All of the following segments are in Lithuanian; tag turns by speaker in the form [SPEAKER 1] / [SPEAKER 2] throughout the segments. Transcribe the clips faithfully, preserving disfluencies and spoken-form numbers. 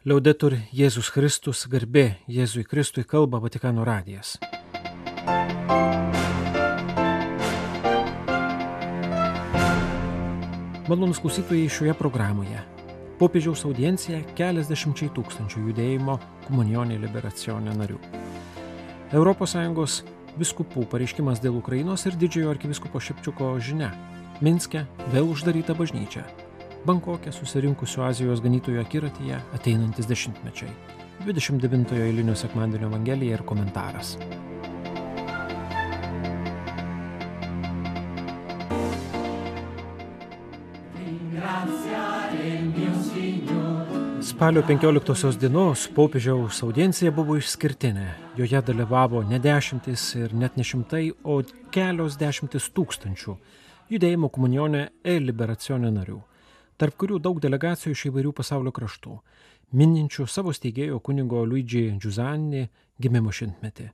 [SPEAKER 1] Liaudetur Jėzus Kristus, garbė Jėzui Kristui, kalba Vatikano radijas. Malonūs klausytojai, šioje programoje popiežiaus audiencija keliasdešimčiai tūkstančių judėjimo Komunionė Liberacione narių. Europos Sąjungos vyskupų pareiškimas dėl Ukrainos ir didžiojo arkivyskupo Šepčiuko žinia. Minske vėl uždaryta bažnyčia. Bankoke susirinkusių Azijos ganytojų akiratyje ateinantis dešimtmečiai. dvidešimt devintojo eilinio sekmadienio evangelija ir komentaras. Spalio penkioliktosios dienos popiežiaus audiencija buvo išskirtinė. Joje dalyvavo ne dešimtis ir net ne šimtai, o kelios dešimtis tūkstančių judėjimo Komunionė Liberacione narių, tarp kurių daug delegacijų iš įvairių pasaulio kraštų, mininčių savo steigėjo kunigo Luigi Giussani gimimo šimtmetį.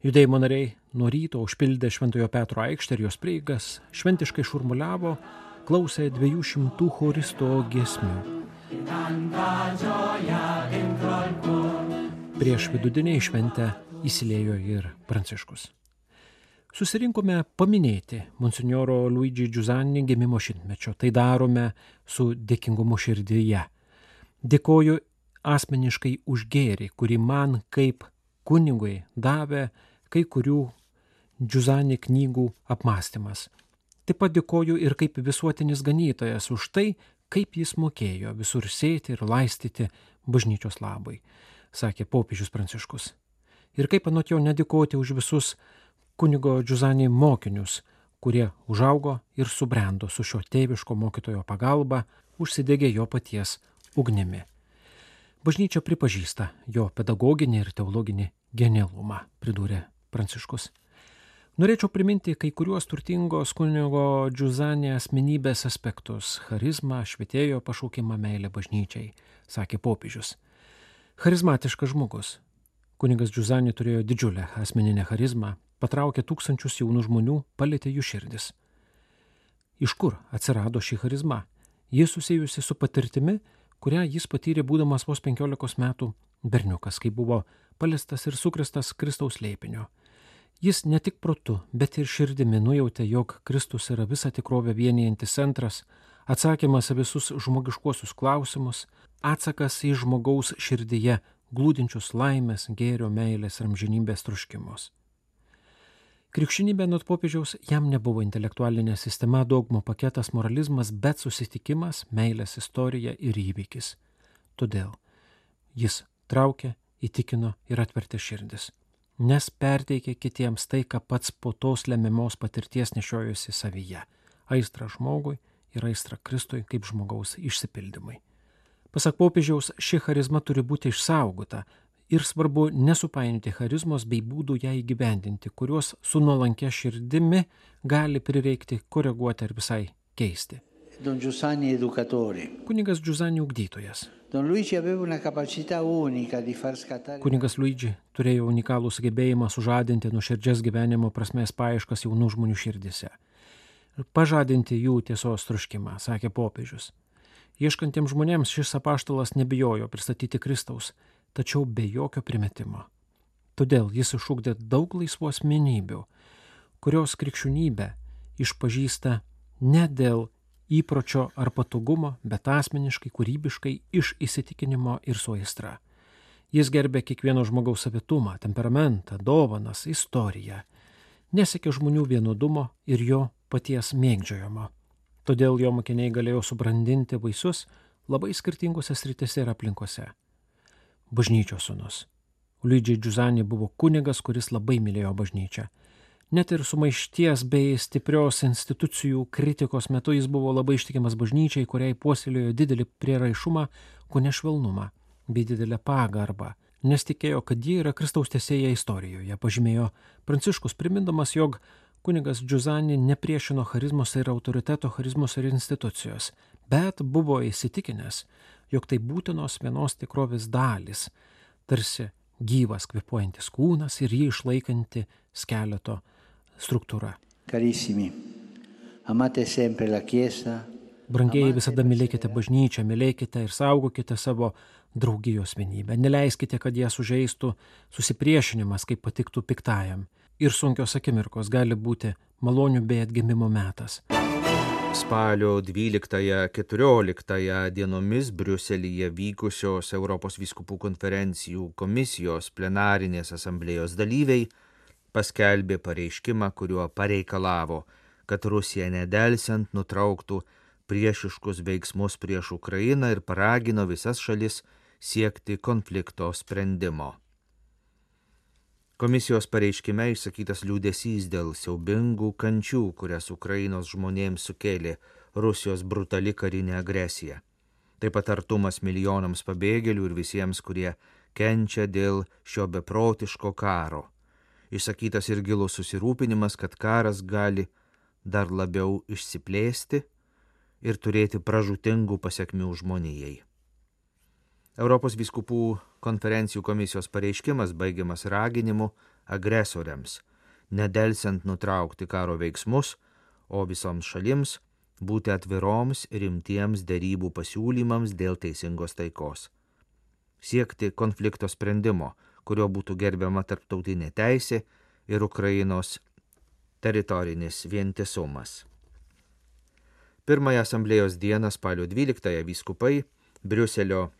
[SPEAKER 1] Judėjimo nariai nuo ryto užpildė Šventojo Petro aikštę ir jos prieigas, šventiškai šurmuliavo, klausė dviejų šimtų choristo giesmių. Prieš vidudienį į šventę įsiliejo ir Pranciškus. Susirinkome paminėti monsinjoro Luigi Giussani gimimo šimtmečio. Tai darome su dėkingumu širdyje. Dėkoju asmeniškai už gėrį, kurį man kaip kunigui davė kai kurių Giussani knygų apmąstymas. Taip pat dėkoju ir kaip visuotinis ganytojas už tai, kaip jis mokėjo visur sėti ir laistyti bažnyčios labui, sakė popiežius Pranciškus. Ir kaip anot jo nedėkoti už visus kunigo Giussani mokinius, kurie užaugo ir subrendo su šio tėviško mokytojo pagalba, užsidegė jo paties ugnimi. Bažnyčia pripažįsta jo pedagoginį ir teologinį genialumą, pridūrė Pranciškus. Norėčiau priminti kai kuriuos turtingos kunigo Giussani asmenybės aspektus – charizmą, švietėjo pašaukimą, meilę bažnyčiai, sakė popiežius. Charizmatiškas žmogus. Kunigas Giussani turėjo didžiulę asmeninę charizmą, patraukė tūkstančius jaunų žmonių, palietė jų širdis. Iš kur atsirado ši charizma? Jis susijusi su patirtimi, kurią jis patyrė būdamas vos penkiolikos metų berniukas, kai buvo paliestas ir sukristas Kristaus slėpinio. Jis ne tik protu, bet ir širdimi nujautė, jog Kristus yra visą tikrovę vienijantis centras, atsakymas į visus žmogiškuosius klausimus, atsakas į žmogaus širdyje glūdinčius laimės, gėrio, meilės ir amžinybės troškimus. Krikščionybė nuo popiežiaus jam nebuvo intelektualinė sistema, dogmų paketas, moralizmas, bet susitikimas, meilės istorija ir įvykis. Todėl jis traukė, įtikino ir atvertė širdis, nes perteikė kitiems tai, ką pats po tos lemiamos patirties nešiojosi savyje – aistrą žmogui ir aistrą Kristui kaip žmogaus išsipildymui. Pasak popiežiaus, ši charizma turi būti išsaugota ir svarbu nesupainioti charizmos bei būdų ją įgyvendinti, kuriuos su nuolankia širdimi gali prireikti koreguoti ar visai keisti.
[SPEAKER 2] Don Giussani educatore.
[SPEAKER 1] Kunigas Giussani ugdytojas.
[SPEAKER 2] Don Luigi aveva una capacità unica di far scattare.
[SPEAKER 1] Kunigas Luigi turėjo unikalų sugebėjimą sužadinti nuoširdžias gyvenimo prasmės paieškas jaunų žmonių širdise. Pažadinti jų tiesos troškimą, sakė popiežius. Ieškantiems žmonėms šis apaštalas nebijojo pristatyti Kristaus, tačiau be jokio primetimo. Todėl jis išugdė daug laisvų asmenybių, kurios krikščionybę išpažįsta ne dėl įpročio ar patogumo, bet asmeniškai, kūrybiškai, iš įsitikinimo ir su aistra. Jis gerbė kiekvieno žmogaus savitumą, temperamentą, dovanas, istoriją. Nesekė žmonių vienodumo ir jo paties mėgdžiojimo. Todėl jo mokiniai galėjo subrandinti vaisius labai skirtingose sritise ir aplinkose. Bažnyčios sūnus. Luigi Giussani buvo kunigas, kuris labai mylėjo bažnyčią. Net ir sumaišties bei stiprios institucijų kritikos metu jis buvo labai ištikimas bažnyčiai, kuriai puoselėjo didelį prieraišumą, kone švelnumą bei didelę pagarbą, nes tikėjo, kad ji yra Kristaus tęsėja istorijoje, pažymėjo Pranciškus, primindamas, jog kunigas Giussani nepriešino charizmos ir autoriteto, charizmos ir institucijos, bet buvo įsitikinęs, jog tai būtinos vienos tikrovės dalys, tarsi gyvas kvėpuojantis kūnas ir jį išlaikanti skeleto struktūra.
[SPEAKER 2] Carissimi, amate sempre la Chiesa,
[SPEAKER 1] Brangieji, visada mylėkite bažnyčią, mylėkite ir saugokite savo draugijos vienybę. Neleiskite, kad ją sužeistų susipriešinimas, kaip patiktų piktajam. Ir sunkios akimirkos gali būti malonių bei atgimimo metas.
[SPEAKER 3] Spalio dvyliktąją-keturioliktąją dienomis Briuselyje vykusios Europos vyskupų konferencijų komisijos plenarinės asamblėjos dalyviai paskelbė pareiškimą, kuriuo pareikalavo, kad Rusija nedelsiant nutrauktų priešiškus veiksmus prieš Ukrainą ir paragino visas šalis siekti konflikto sprendimo. Komisijos pareiškime išsakytas liūdesys dėl siaubingų kančių, kurias Ukrainos žmonėms sukėlė Rusijos brutali karinė agresija. Taip pat artumas milijonams pabėgėlių ir visiems, kurie kenčia dėl šio beprotiško karo. Išsakytas ir gilus susirūpinimas, kad karas gali dar labiau išsiplėsti ir turėti pražūtingų pasekmių žmonijai. Europos vyskupų konferencijų komisijos pareiškimas baigiamas raginimu agresoriams nedelsiant nutraukti karo veiksmus, o visoms šalims būti atviroms rimtiems derybų pasiūlymams dėl teisingos taikos. Siekti konflikto sprendimo, kurio būtų gerbiama tarptautinė teisė ir Ukrainos teritorinis vientisumas. Pirmąją asamblėjos dieną spalio dvyliktąją vyskupai Briuselio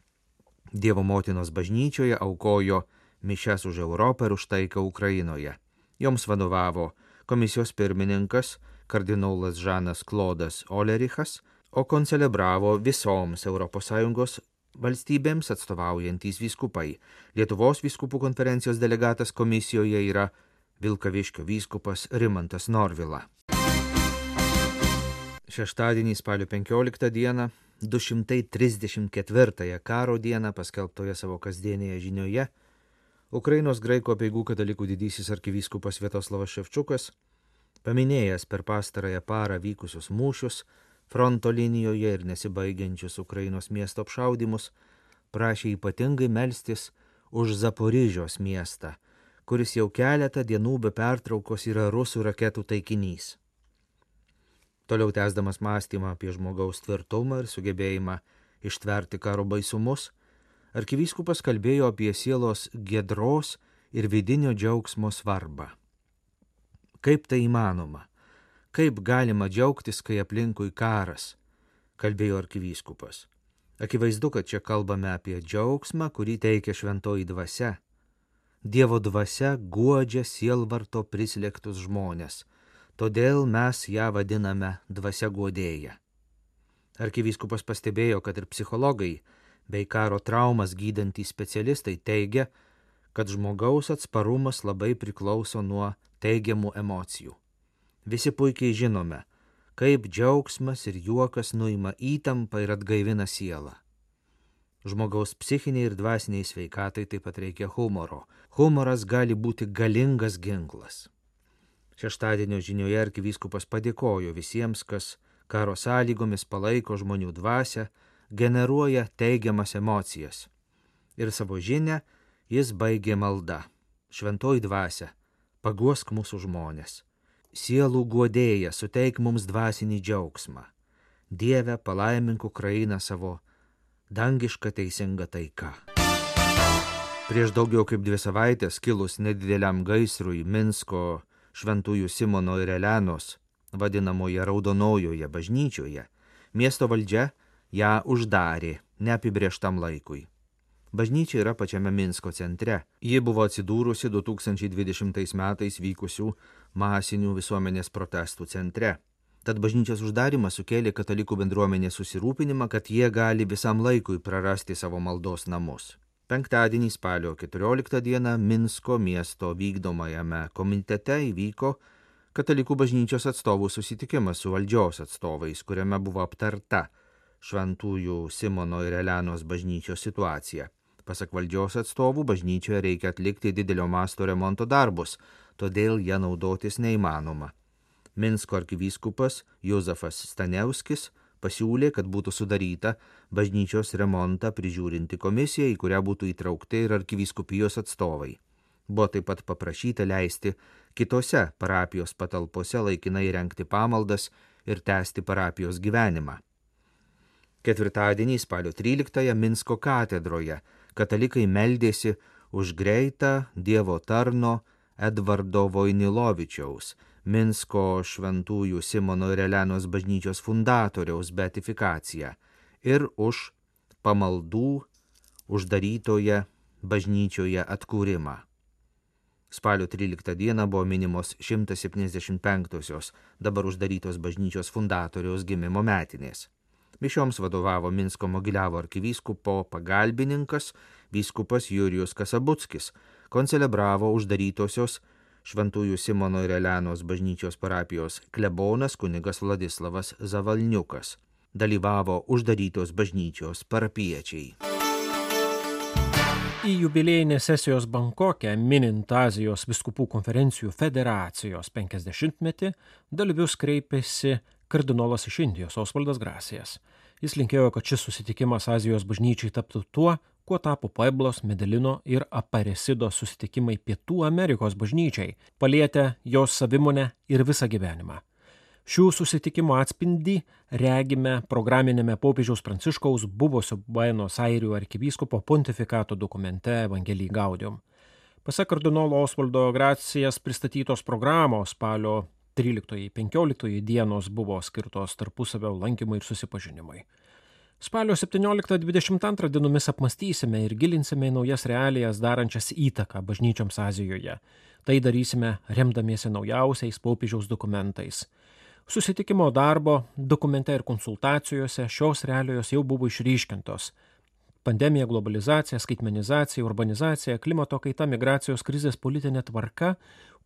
[SPEAKER 3] Dievo motinos bažnyčioje aukojo mišias už Europą ir už taiką Ukrainoje. Joms vadovavo komisijos pirmininkas kardinolas Žanas Klodas Olerichas, o koncelebravo visoms Europos Sąjungos valstybėms atstovaujantys vyskupai. Lietuvos vyskupų konferencijos delegatas komisijoje yra Vilkaviškio vyskupas Rimantas Norvila. Šeštadienį spalio penkioliktą dieną, du šimtai trisdešimt ketvirtąją karo dieną paskelbtoje savo kasdienėje žinioje, Ukrainos graikų apeigų katalikų didysis arkivyskupas Sviatoslavas Ševčukas, paminėjęs per pastarąją parą vykusius mūšius, fronto linijoje ir nesibaigiančius Ukrainos miesto apšaudymus, prašė ypatingai melstis už Zaporižios miestą, kuris jau keletą dienų be pertraukos yra rusų raketų taikinys. Toliau tęsdamas mąstymą apie žmogaus tvirtumą ir sugebėjimą ištverti karo baisumus, arkivyskupas kalbėjo apie sielos giedros ir vidinio džiaugsmo svarbą. Kaip tai įmanoma? Kaip galima džiaugtis, kai aplinkui karas? Kalbėjo arkivyskupas. Akivaizdu, kad čia kalbame apie džiaugsmą, kurį teikia šventoji dvasia. Dievo dvasia guodžia sielvarto prislėgtus žmonės. Todėl mes ją vadiname dvasia guodėja. Arkivyskupas pastebėjo, kad ir psichologai bei karo traumas gydantys specialistai teigia, kad žmogaus atsparumas labai priklauso nuo teigiamų emocijų. Visi puikiai žinome, kaip džiaugsmas ir juokas nuima įtampą ir atgaivina sielą. Žmogaus psichiniai ir dvasiniai sveikatai taip pat reikia humoro. Humoras gali būti galingas ginklas. Šeštadienio žinioje arkivyskupas padėkojo visiems, kas karo sąlygomis palaiko žmonių dvasią, generuoja teigiamas emocijas. Ir savo žinią jis baigė malda. Šventoji dvasia, paguosk mūsų žmonės. Sielų guodėja, suteik mums dvasinį džiaugsmą. Dieve, palaimink Ukrainą savo dangišką teisingą taiką. Prieš daugiau kaip dvi savaitės kilus nedideliam gaisrui Minsko Šventųjų Simono ir Elenos, vadinamoje Raudonojoje bažnyčioje, miesto valdžia ją uždarė neapibrėžtam laikui. Bažnyčia yra pačiame Minsko centre. Ji buvo atsidūrusi du tūkstančiai dvidešimtais metais vykusių masinių visuomenės protestų centre. Tad bažnyčios uždarimas sukėlė katalikų bendruomenės susirūpinimą, kad jie gali visam laikui prarasti savo maldos namus. Penktadienį spalio keturioliktą dieną Minsko miesto vykdomajame komitete įvyko katalikų bažnyčios atstovų susitikimas su valdžios atstovais, kuriame buvo aptarta Šventųjų Simono ir Elenos bažnyčios situacija. Pasak valdžios atstovų, bažnyčioje reikia atlikti didelio masto remonto darbus, todėl ją naudotis neįmanoma. Minsko arkivyskupas Jozefas Stanevskis pasiūlė, kad būtų sudaryta bažnyčios remontą prižiūrinti komisija, į kurią būtų įtraukti ir arkivyskupijos atstovai. Buvo taip pat paprašyta leisti kitose parapijos patalpose laikinai rengti pamaldas ir tęsti parapijos gyvenimą. Ketvirtadienį spalio tryliktąją Minsko katedroje katalikai meldėsi už greitą Dievo tarno Edvardo Voinilovičiaus, Minsko šventųjų Simono ir Elenos bažnyčios fundatoriaus beatifikaciją ir už pamaldų uždarytoje bažnyčioje atkūrimą. Spalio tryliktą dieną buvo minimos šimtas septyniasdešimt penktosios dabar uždarytos bažnyčios fundatoriaus gimimo metinės. Mišioms vadovavo Minsko Mogiliavo arkivyskupo pagalbininkas vyskupas Jurijus Kasabuckis, koncelebravo uždarytosios Šventųjų Simono ir Elenos bažnyčios parapijos klebonas kunigas Vladislavas Zavalniukas. Dalyvavo uždarytos bažnyčios parapiečiai.
[SPEAKER 1] Į jubiliejinės sesijos Bankoke, minint Azijos vyskupų konferencijų federacijos penkiasdešimtmetį, dalyvius kreipėsi kardinolas iš Indijos Osvaldas Grasijas. Jis linkėjo, kad šis susitikimas Azijos bažnyčiai taptų tuo, kuo tapo Pueblos, Medelino ir Aparesido susitikimai Pietų Amerikos bažnyčiai, palietę jos savimonę ir visą gyvenimą. Šių susitikimų atspindį regime programinėme popiežiaus Pranciškaus buvusio Buenos Airių arkivyskupo pontifikato dokumente Evangelii Gaudium. Pasak kardinolo Osvaldo Gracijas pristatytos programos spalio tryliktoji-penkioliktoji dienos buvo skirtos tarpusavio lankymui ir susipažinimui. Spalio septynioliktą-dvidešimt antrą dienomis apmastysime ir gilinsime į naujas realijas darančias įtaką bažnyčioms Azijoje. Tai darysime remdamiesi naujausiais popiežiaus dokumentais. Susitikimo darbo, dokumente ir konsultacijose šios realijos jau buvo išryškintos. Pandemija, globalizacija, skaitmenizacija, urbanizacija, klimato kaita, migracijos krizės politinė tvarka,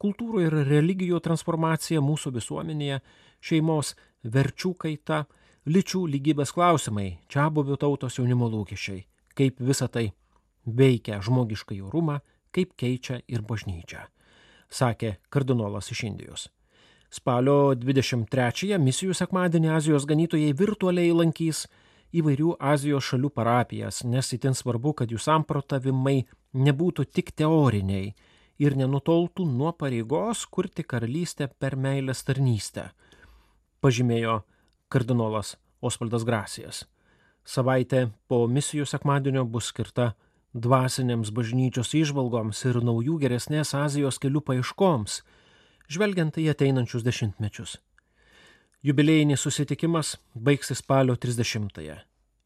[SPEAKER 1] kultūrų ir religijų transformacija mūsų visuomenėje, šeimos verčių kaita, lyčių lygybės klausimai, čiabuvių tautos jaunimo lūkesčiai, kaip visa tai veikia žmogišką orumą, kaip keičia ir bažnyčią, sakė kardinolas iš Indijos. Spalio dvidešimt trečiąją misijų sekmadienį Azijos ganytojai virtualiai lankys įvairių Azijos šalių parapijas, nes itin svarbu, kad jų samprotavimai nebūtų tik teoriniai ir nenutoltų nuo pareigos kurti karalystę per meilės tarnystę, pažymėjo kardinolas Osvaldas Gracijas. Savaitė po misijų sekmadienio bus skirta dvasinėms bažnyčios įžvalgoms ir naujų geresnės Azijos kelių paieškoms, žvelgiant į ateinančius dešimtmečius. Jubiliejinis susitikimas baigsis spalio trisdešimtąją,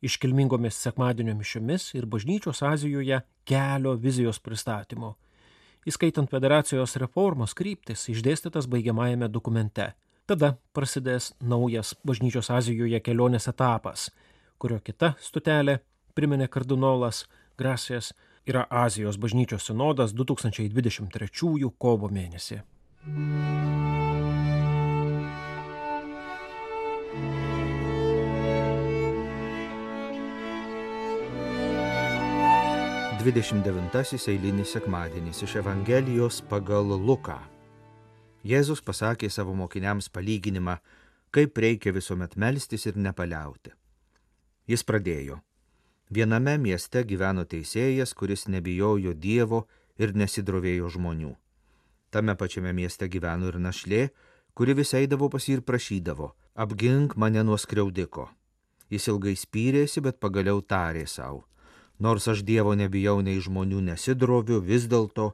[SPEAKER 1] iškilmingomis sekmadienio mišiomis ir bažnyčios Azijoje kelio vizijos pristatymu, įskaitant federacijos reformos kryptis išdėstytas baigiamajame dokumente. Tada prasidės naujas bažnyčios Azijoje kelionės etapas, kurio kita stotelė, priminė kardinolas Gracijas, yra Azijos bažnyčios sinodas du tūkstančiai dvidešimt trečiųjų kovo mėnesį.
[SPEAKER 3] dvidešimt devintasis eilinis sekmadienis iš Evangelijos pagal Luką. Jėzus pasakė savo mokiniams palyginimą, kaip reikia visuomet melstis ir nepaliauti. Jis pradėjo. Viename mieste gyveno teisėjas, kuris nebijojo Dievo ir nesidrovėjo žmonių. Tame pačiame mieste gyveno ir našlė, kuri vis eidavo pas jį ir prašydavo, apgink mane nuo skriaudiko. Jis ilgai spyrėsi, bet pagaliau tarė savo. Nors aš Dievo nebijau nei žmonių nesidroviu, vis dėlto,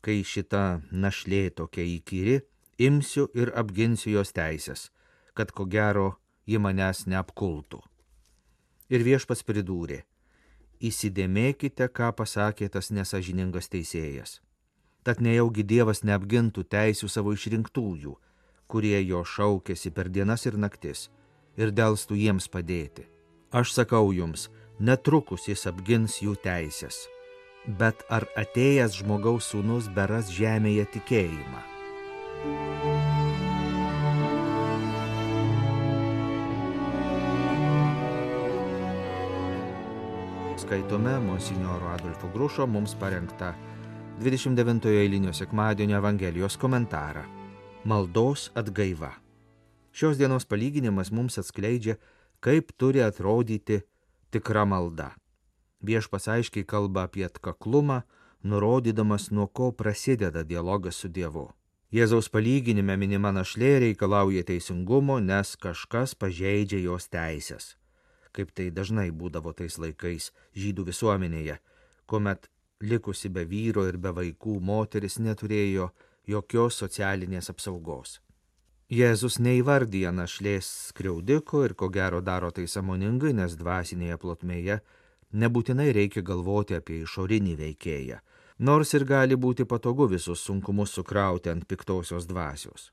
[SPEAKER 3] kai šita našlė tokia įkyri, imsiu ir apginsiu jos teisės, kad ko gero ji manęs neapkultų. Ir viešpats pridūrė, įsidėmėkite, ką pasakė tas nesažiningas teisėjas. Tad nejaugi Dievas neapgintų teisių savo išrinktųjų, kurie jo šaukėsi per dienas ir naktis, ir delstų jiems padėti. Aš sakau jums, netrukus jis apgins jų teisės. Bet ar atėjęs žmogaus sūnus beras žemėje tikėjimą? Skaitome monsinjoro Adolfo Grušo mums parengtą dvidešimt devintojo eilinio sekmadienio Evangelijos komentarą. Maldos atgaiva. Šios dienos palyginimas mums atskleidžia, kaip turi atrodyti tikra malda. Viešpats aiškiai kalba apie atkaklumą, nurodydamas, nuo ko prasideda dialogas su Dievu. Jėzaus palyginime minima našlė reikalauja teisingumo, nes kažkas pažeidžia jos teisės. kaip tai dažnai būdavo tais laikais žydų visuomenėje, kuomet likusi be vyro ir be vaikų moteris neturėjo jokios socialinės apsaugos. Jėzus neįvardyja našlės skriaudiko ir ko gero daro tai sąmoningai, nes dvasinėje plotmėje nebūtinai reikia galvoti apie išorinį veikėją, nors ir gali būti patogu visus sunkumus sukrauti ant piktosios dvasios.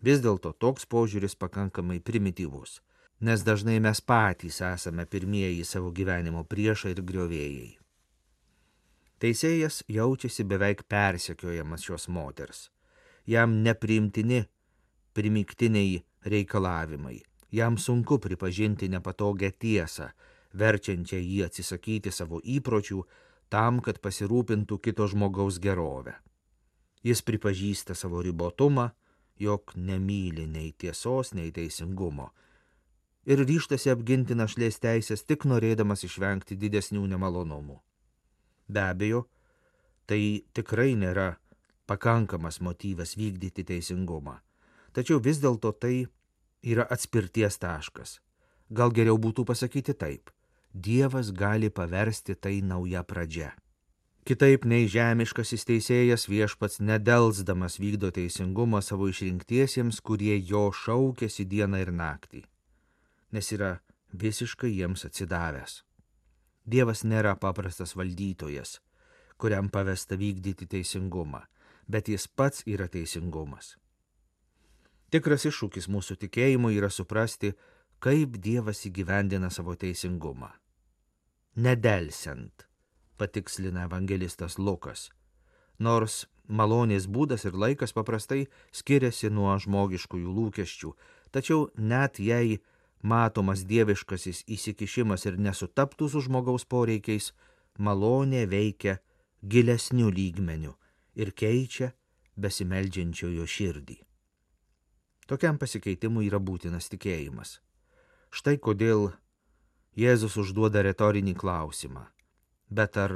[SPEAKER 3] Vis dėlto toks požiūris pakankamai primityvus, nes dažnai mes patys esame pirmieji savo gyvenimo priešai ir griovėjai. Teisėjas jaučiasi beveik persekiojamas šios moters. Jam nepriimtini primygtiniai reikalavimai. Jam sunku pripažinti nepatogią tiesą, verčiančią jį atsisakyti savo įpročių tam, kad pasirūpintų kito žmogaus gerovę. Jis pripažįsta savo ribotumą, jog nemyli nei tiesos, nei teisingumo ir ryžtasi apginti našlės teisės tik norėdamas išvengti didesnių nemalonumų. Be abejo, tai tikrai nėra pakankamas motyvas vykdyti teisingumą. Tačiau vis dėlto tai yra atspirties taškas. Gal geriau būtų pasakyti taip. Dievas gali paversti tai nauja pradžia. Kitaip nei žemiškasis teisėjas viešpats nedelsdamas vykdo teisingumą savo išrinktiesiems, kurie jo šaukėsi dieną ir naktį, nes yra visiškai jiems atsidavęs. Dievas nėra paprastas valdytojas, kuriam pavesta vykdyti teisingumą, bet jis pats yra teisingumas. Tikras iššūkis mūsų tikėjimui yra suprasti, kaip Dievas įgyvendina savo teisingumą. Nedelsiant, patikslina evangelistas Lukas, nors malonės būdas ir laikas paprastai skiriasi nuo žmogiškųjų lūkesčių, tačiau net jei matomas dieviškasis įsikišimas ir nesutaptų su žmogaus poreikiais, malonė veikia gilesnių lygmenių ir keičia besimeldžiančiojo širdį. Tokiam pasikeitimui yra būtinas tikėjimas. Štai kodėl Jėzus užduoda retorinį klausimą. Bet ar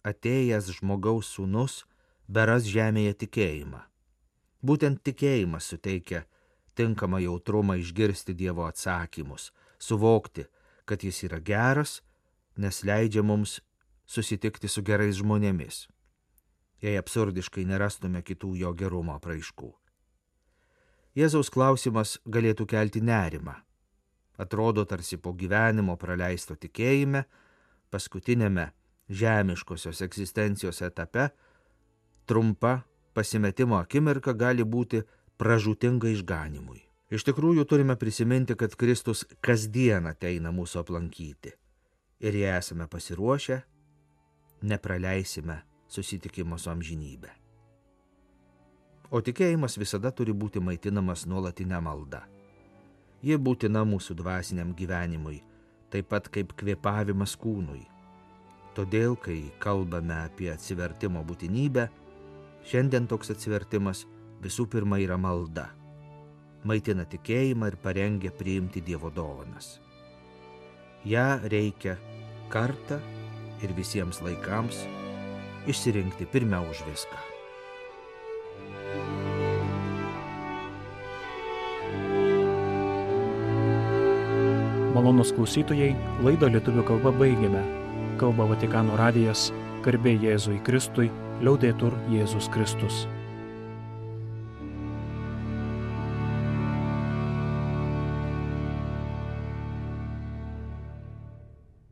[SPEAKER 3] atėjęs žmogaus sūnus beras žemėje tikėjimą? Būtent tikėjimas suteikia tinkamą jautrumą išgirsti Dievo atsakymus, suvokti, kad jis yra geras, nes leidžia mums susitikti su gerais žmonėmis, jei absurdiškai nerastume kitų jo gerumo apraiškų. Jėzaus klausimas galėtų kelti nerimą. Atrodo, tarsi po gyvenimo praleisto tikėjime, paskutinėme žemiškosios egzistencijos etape, trumpa pasimetimo akimirka gali būti pražūtinga išganimui. Iš tikrųjų turime prisiminti, kad Kristus kasdien ateina mūsų aplankyti. Ir jei esame pasiruošę, nepraleisime susitikimo su amžinybė. O tikėjimas visada turi būti maitinamas nuolatinė malda. Ji būtina mūsų dvasiniam gyvenimui, taip pat kaip kvėpavimas kūnui. Todėl, kai kalbame apie atsivertimo būtinybę, šiandien toks atsivertimas visų pirma yra malda. Maitina tikėjimą ir parengia priimti Dievo dovanas. Ja reikia kartą ir visiems laikams išsirinkti pirmiau už viską.
[SPEAKER 1] Malonūs klausytojai, laidą lietuvių kalba baigėme. Kalba Vatikano radijas, garbė Jėzui Kristui, liaudetur Jėzus Kristus.